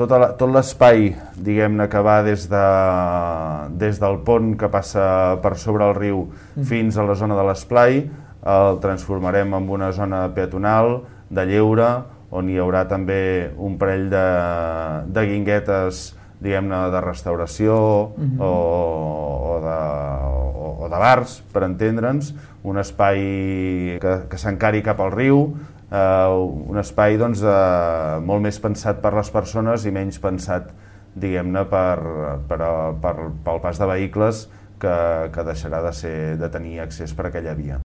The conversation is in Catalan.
tot l'espai, diguem-ne, que va des del pont que passa per sobre el riu fins a la zona de l'esplai, el transformarem en una zona peatonal de lleure, on hi haurà també un parell de guinguetes, diguem-ne, de restauració o de bars, per entendre'ns, un espai que s'encari cap al riu, un espai doncs, molt més pensat per les persones i menys pensat, diguem-ne, pel pas de vehicles que deixarà de tenir accés per aquella via.